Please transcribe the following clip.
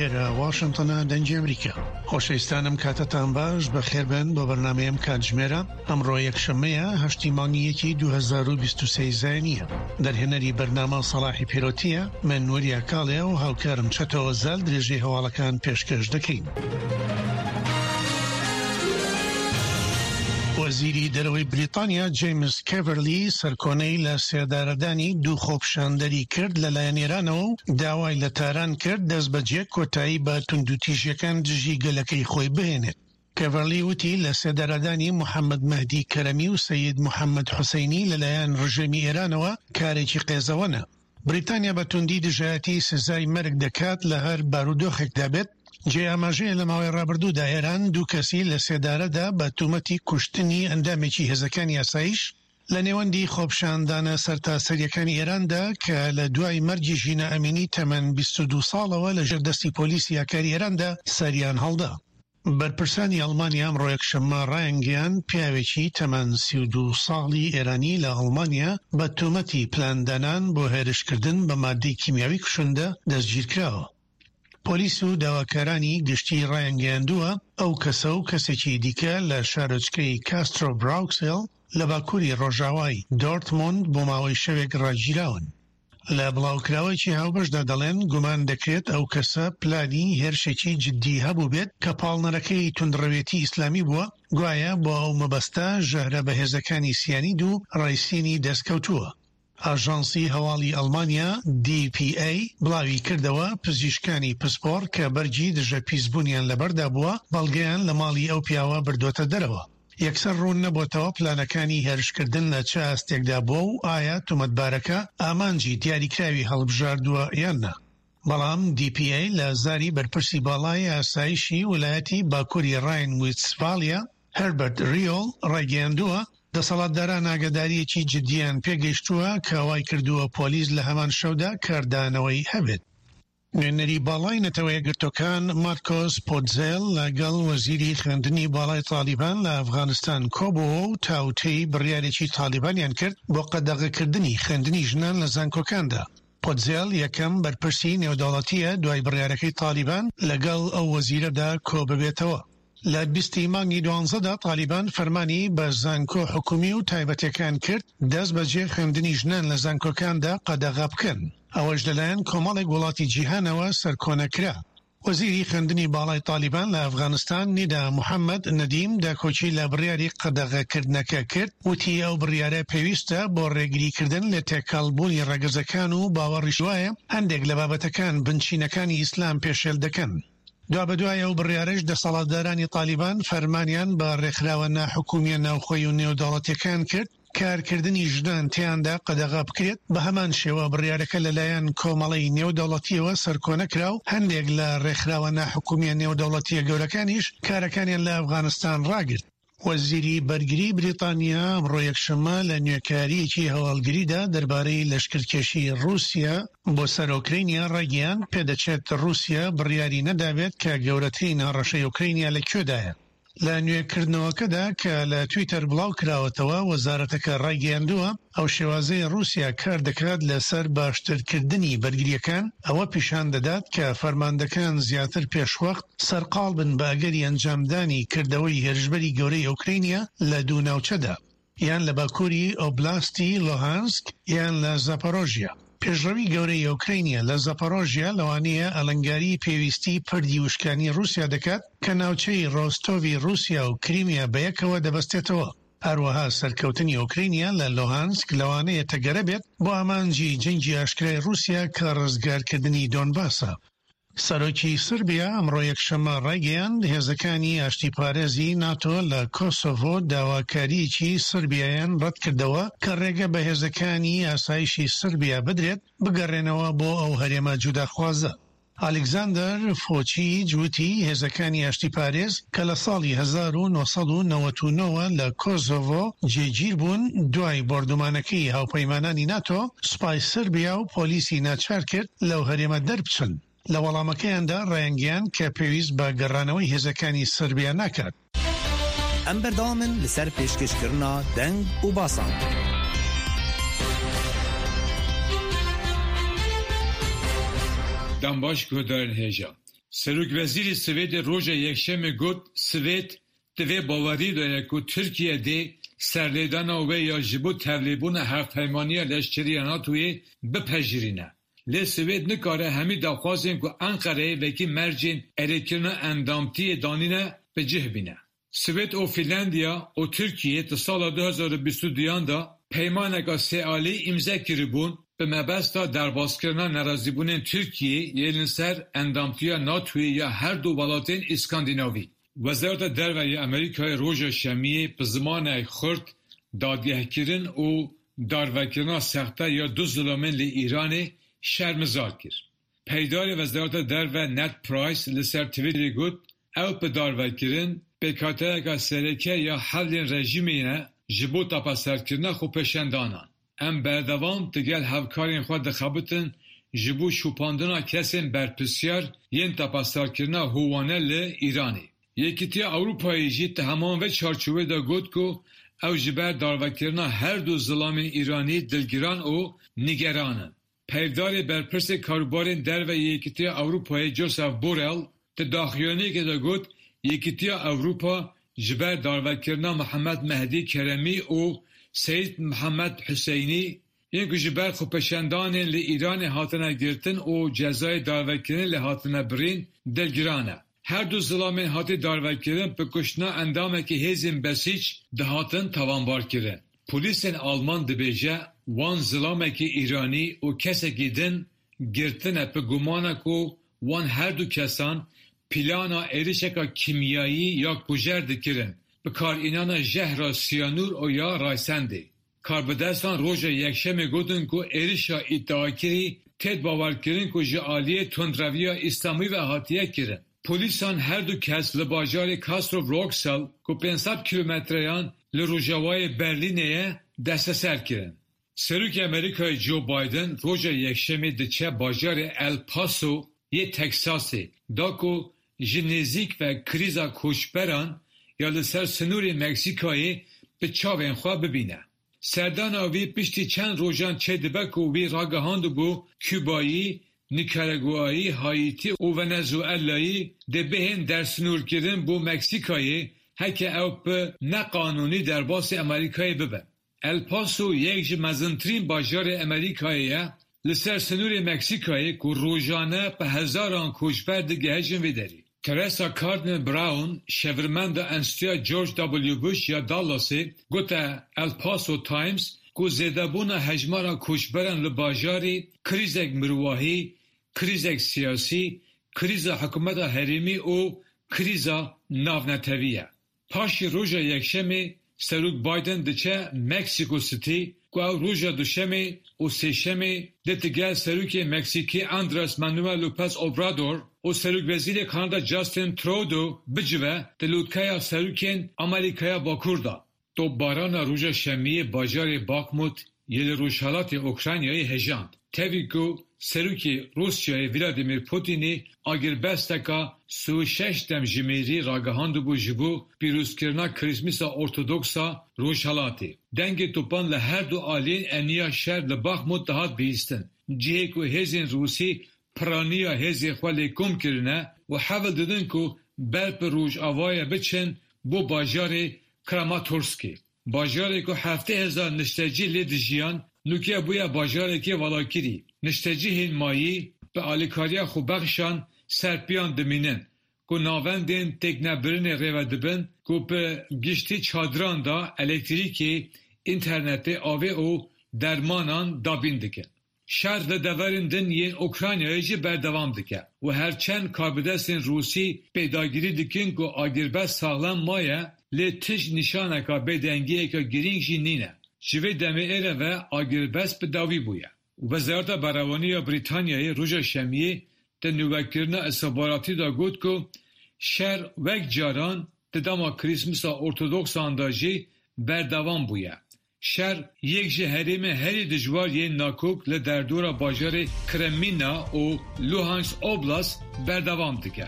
ئێرە واشنتۆنە دەنگی ئەمریکا. خۆشەویستانم کاتتان باش بەخێربێن بۆ بەرنامەی ئەم کاتژمێرە ئەمڕۆ یەکشەممەیە هەشتی مانگی یەکی 2023 زایینیە دەرهێنەری بەرنامە سەڵاحی پێرۆتیە من وریا کاڵێ و هاوکارم چەتۆ زال درێژەی هەواڵەکان پێشکەش دەکەین. وەزیری دەرەوەی بریتانیا جەیمس کێڤەرلی سەرکۆنەی لە سێدارەدانی دوو خۆپیشاندەری کرد لەلایەن ئێرانەوە و داوای لە تاران کرد دەستبەجێ کۆتایی بە توندوتیژیەکان دژی گەلەکەی خۆی بهێنێت. کێڤەرلی وتی لە سێدارەدانی محەمەد مەهدی کەرەمی و سەید محەمەد حوسەینی لەلایەن ڕژێمی ئێرانەوە کارێکی قێزەوەنە. بریتانیا بە توندی دژایەتی سزای مەرگ دەکات لە هەر بارودۆخێکدا بێت. جێی ئاماژەیە لە ماوەی ڕابردوودا ئێران دوو کەسی لە سێدارەدا بە تومەتی کوشتنی ئەندامێکی هێزەکانی ئاسایش لە نێوەندی خۆپیشاندانە سەرتاسەرییەکانی ئێراندا کە لە دوای مەرگی ژینا ئەمینی تەمەن 22 ساڵەوە لە ژێر دەستی پۆلیسی ئاکاری ئێراندا سەریان هەڵدا. بەرپرسانی ئەڵمانیا ئەمڕۆ یەکشەممە ڕایانگەیاند، پیاوێکی تەمەن 32 ساڵی ئێرانی لە ئەڵمانیا بە تۆمەتی پلاندانان بۆ هێرشکردن بە ماددەی کیمیاوی کوشندە دەستگیرکراوە. پۆلیس و داواکارانی گشتی ڕایانگەیاندووە، ئەو کەسە و کەسێکی دیکە لە شارۆچکەی کاسترۆ براوکسێل لە باکووری ڕۆژاوای دۆرتموند بۆ ماوەی شەوێک ڕاگیراون. لە بڵاوکراوەیەکی هاوبەشدا دەڵێن، گومان دەکرێت ئەو کەسە پلانی هێرشێکی جددی هەبووبێت کە پاڵنەرەکەی توندڕەوێتی ئیسلامی بووە، گوایە بۆ ئەو مەبەستە ژەهرە بەهێزەکانی سیانید و ڕایسینی دەستکەوتووە. ئاژانسی هەواڵی ئەڵمانیا، DPA، بڵاوی کردەوە، پزیشکانی پسپۆڕ کە بەرگی دژە پیسبوونیان لەبەردا بووە، بەڵگەیان لە ماڵی ئەو پیاوە بردۆتە دەرەوە. یەکسەر ڕوون نەبۆتەوە پلانەکانی هێرشکردن لە چ ئاستێکدا بووە و ئایا تۆمەتبارەکە ئامانجی دیاریکراوی هەڵبژاردووە یان نا. بەڵام DPA لە زاری بەرپرسی باڵای ئاسایشی ولایەتی باکووری ڕاین ویستفالیا، هێربەرت ریۆل ڕایگەیاندووە، دەسەڵاتداران ئاگادارییەکی جددییان پێگەیشتووە کە وایکردووە پۆلیس لە هەمان شەودا کاردانەوەی هەبێت. نوێنەری باڵای نەتەوە یەکگرتووەکان مارکۆس پۆتزێل لەگەڵ وەزیری خوێندنی باڵای تاڵیبان لە ئەفغانستان کۆبووەوە و تاوتێی بڕیارێکی تاڵیبانیان کرد بۆ قەدەغەکردنی خوێندنی ژنان لە زانکۆکاندا. پۆتزێل یەکەم بەرپرسی نێودەوڵەتییە دوای بڕیارەکەی تاڵیبان لەگەڵ ئەو وەزیرەدا کۆببێتەوە. لە 20 ی مانگی دوانزەدا تالیبان فەرمانی بە زانکۆ حکومی و تایبەتیەکان کرد دەست بەجێ خوێندنی ژنان لە زانکۆکاندا قەدەغە بکەن، ئەوەش لەلایەن کۆمەڵێک وڵاتی جیهانەوە سەرکۆنە کرا. وەزیری خوێندنی باڵای تالیبان لە ئەفغانستان نیدا محەمەد نەدیم داکۆکی لە بڕیاری قەدەغەکردنەکە کرد، وتی ئەو بڕیارە پێویستە بۆ ڕێگریکردن لە تێکەڵبوونی ڕەگەزەکان و باوەڕیش وایە هەندێک لە بابەتەکان بنچینەکانی ئیسلام پێشێل دەکەن. دوابەدوای ئەو بڕیارەش دەسەڵاتدارانی تالیبان فەرمانیان بە ڕێکخراوە ناحکومییە ناوخۆیی و نێودەوڵەتییەکان کرد کارکردنی ژنان تێیاندا قەدەغە بکرێت، بەهەمان شێوە بڕیارەکە لەلایەن کۆمەڵەی نێودەوڵەتییەوە سەرکۆنە کرا و هەندێک لە ڕێکخراوە ناحکومییە نێودەوڵەتییە گەورەکانیش کارەکانیان لە ئەفغانستان ڕاگرت. وەزیری بەرگری بریتانیا ئەمڕۆ یەکشەممە لە نوێکارییەکی هەواڵگریدا دەربارەی لەشکرکێشی ڕووسیا بۆ سەر ئۆکرەینیا ڕایگەیاند، پێدەچێت ڕووسیا بڕیاری نەدابێت کە گەورەترین هەڕەشەی ئۆکرەینیا لە کوێدایە. لە نوێکردنەوەکەدا کە لە تویتەر بڵاوکراوەتەوە، وەزارەتەکە ڕایگەیاندووە، ئەو شێوازەی ڕووسیا کار دەکات لەسەر باشترکردنی بەرگرییەکان، ئەوە پیشان دەدات کە فەرماندەکان زیاتر پێشوەخت سەرقاڵ بن بە ئەگەری ئەنجامدانی کردەوەی هێرشبەری گەورەی ئۆکرەینیا لە دوو ناوچەدا، یان لە باکووری ئۆبلاستی لوهانسک یان لە زاپۆرۆژیا. پێشڕەوی گەورەی ئۆکرەینیا لە زاپۆرۆژیا لەوانەیە ئالنگاری پێویستی پردی وشکانی ڕووسیا دەکات کە ناوچەی ڕۆستۆڤی ڕووسیا و کریمیا بەیەکەوە دەبەستێتەوە. هەروەها سەرکەوتنی ئۆکرەینیا لە لوهانسک لەوانەیە تەگەرە بێت بۆ ئامانجی جەنگی ئاشکرای ڕووسیا کە ڕزگارکردنی دۆنباسە. سەرۆکی سربیا ئەمڕۆ یەکشەممە ڕایگەیاند، هێزەکانی ئاشتیپارێزی ناتۆ لە کۆسۆڤۆ داواکارییەکی سربیایان ڕەتکردەوە کە ڕێگە بە هێزەکانی ئاسایشی سربیا بدرێت بگەڕێنەوە بۆ ئەو هەرێمە جوداخوازە. ئالیکزاندەر فۆچیج وتی، هێزەکانی ئاشتیپارێز کە لە ساڵی 1999 وە لە کۆسۆڤۆ جێگیر بوون، دوای بۆردومانەکەی هاوپەیمانانی ناتۆ، سوپای سربیا و پۆلیسی ناچار کرد لەو هەرێمە دەربچن. لە وەڵامەکەیاندا ڕایانگەیاند کە پێویست بە گەڕانەوەی هێزەکانی سربیا ناکات. ئەم بەردەوامن لەسەر پێشکەشکردنا دەنگ و باسان. دەم باش گۆدارên hêja. Serokwezîrê Swêdê roja Yekşemê got, Swêd di vê baweriyê de ye ku Tirkiye dê serlêdana wê ya ji bo tevlêbûna Hevpeymaniya Leşkerî ya NATOyê bipejirîne. Lê Swêd nikare hemî daxwazên ku Enqereyê wekî mercên erêkirina endamtiyê danîne bi cih bîne. Swêd û Fînlandiya û Tirkiyê di sala 2022 an de peymaneke sêalî îmze kiribûn bi mebesta derbaskirina nerazîbûnên Tirkiyê yên li ser endamtiya NATOyê ya her du welatên Îskandînavî. Wezareta Derve ya Amerîkayê roja Şemiyê bi zimanek xurt dadgehkirin û darvekirina sexte ya du zilamên li Îranê şermezar kir. Peydarê Wezareta Derve Ned Price li ser Twitterê got, Ew bi darvekirin pêkhateyeke sereke ya hevlên rejîmê ne ji bo tepeserkirina xwepêşandanan. Em berdewam digel hevkarên xwe dixebitin ji bo şopandina kesên berpirsyar yên tepeserkirina hovane li Îranê. Yekîtiya Ewropayê jî di heman vê çarçoveyê de got ku ew ji ber darvekirina her du zilamên Îranî dilgiran û nîgeran in. Peyvdarê Berpirsê Karûbarên Derve yê Yekîtiya Ewropayê Josep Borrell di daxuyaniyekê de got, Yekîtiya Ewropa ji ber darvekirina Mihemed Mehdî Keremî û Seyîd Mihemed Huseynî yên ku ji ber xwepêşandanên li Îranê hatine girtin û cezayê darvekirinê lê hatine birîn, dilgiran e. Her du zilamên hatî darvekirin bi kuştina endamekî hêzên Besîc dihatin tawanbarkirin. Polîsên Alman dibêje wan zilamekî Îranî û kesekî din girtine bi gumana ku wan her du kesan plana êrişeke kîmyayî ya kujer dikirin bi karînana jehra siyanûr û ya Raysendê. Karbidestan roja Yekşemê gotin ku êrişa îdiakirî tê bawerkirin ku ji aliyê tundreviya Îslamî ve hatiye kirin. Polîsan her du kes li bajarê Castrop-Rauxel ku 500 kîlometreyan li rojavayê Berlînê ye desteser kirin. Serokê Amerîkayê Joe Biden roja Yekşemê diçe bajarê El Paso yê Teksasê da ku ji nêzîk ve krîza koçberan ya li ser sinorê Meksîkayê bi çavên xwe bibîne. Serdana wî piştî çend rojan çêdibe ku wî ragihandibû Kubayî, Nîkaragûayî, Haîtî û Venezuelayî dê bihên dersinûrkirin bo Meksîkayê heke ew bi neqanûnî derbasî Amerîkayê bibin. El Paso yek ji mezintirîn bajarê Amerîkayê ye li ser sinorê Meksîkayê ku rojane bi hezaran koçber digihejin vê derê. Teresa Cardinal Brown, şêwirmenda Enstîtuya George W. Bush ya Dallasê, gote El Paso Times ku zêdebûna hejmara koçberan li bajarî krîzek mirovahî, krîzek siyasî, krîza hikûmeta herêmî û krîza navnetewî ye. Paşî roja Yekşemê Serok Biden diçe Mexico City ku ew roja Duşemê û Sêşemê dê digel Serokê Meksîkî Andres Manuel Lopez Obrador û Serokwezîrê Kanada Justin Trudeau bicive di lûtkeya serokên Amerîkaya Bakur de. Topbarana roja Şemiyê bajarê Bakhmut yê li rojhilatê Ukraynayê hejand. Tevî ku Serokê Rûsyayê Vladimir Putinê agirbesteka 36 demjimêrî ragihandibû ji bo pîrozkirina Krîsmisa Ortodoksa Rojhilatê. Dengê topan li her du aliyên eniya şer li Bakhmut dihat bihîstin. Cihê ku hêzên Rûsî piraniya hêzên xwe lê kom kirine û hewl didin ku ber bi rojavayê biçin bo bajarê Kramatorskê. Bajarê ku 70,000 niştecî lê dijiyan, nûke bûye bajarekî valakirî. Niştecihên mayî bi alîkariya xwebexşan ser piyan dimînin ku navendên têknebirinê rêve dibin ku bi giştî çadiran da elektrîkê, înternetê, avê û dermanan dabîn dikin. Şer li deverên din yên Ukraynayê jî berdewam dike û her çend karbidestên Rûsî pêdagirî dikin ku agirbest saxlem maye lê tij nîşaneka bêdengiyeke girîng jî nîne. Ji vê demê êre ve agirbest bi dawî bûye. Wezareta Berevanî ya Brîtanyayê roja Şemiyê di nûvekirina îstixbaratî de got ku şer wek caran di dema Krîsmisa Ortodoksan de jî berdewam bûye. Şer yek ji herêmên herî dijwar yên nakok li derdora bajarê Kremîna û Luhansk Oblast berdewam dike.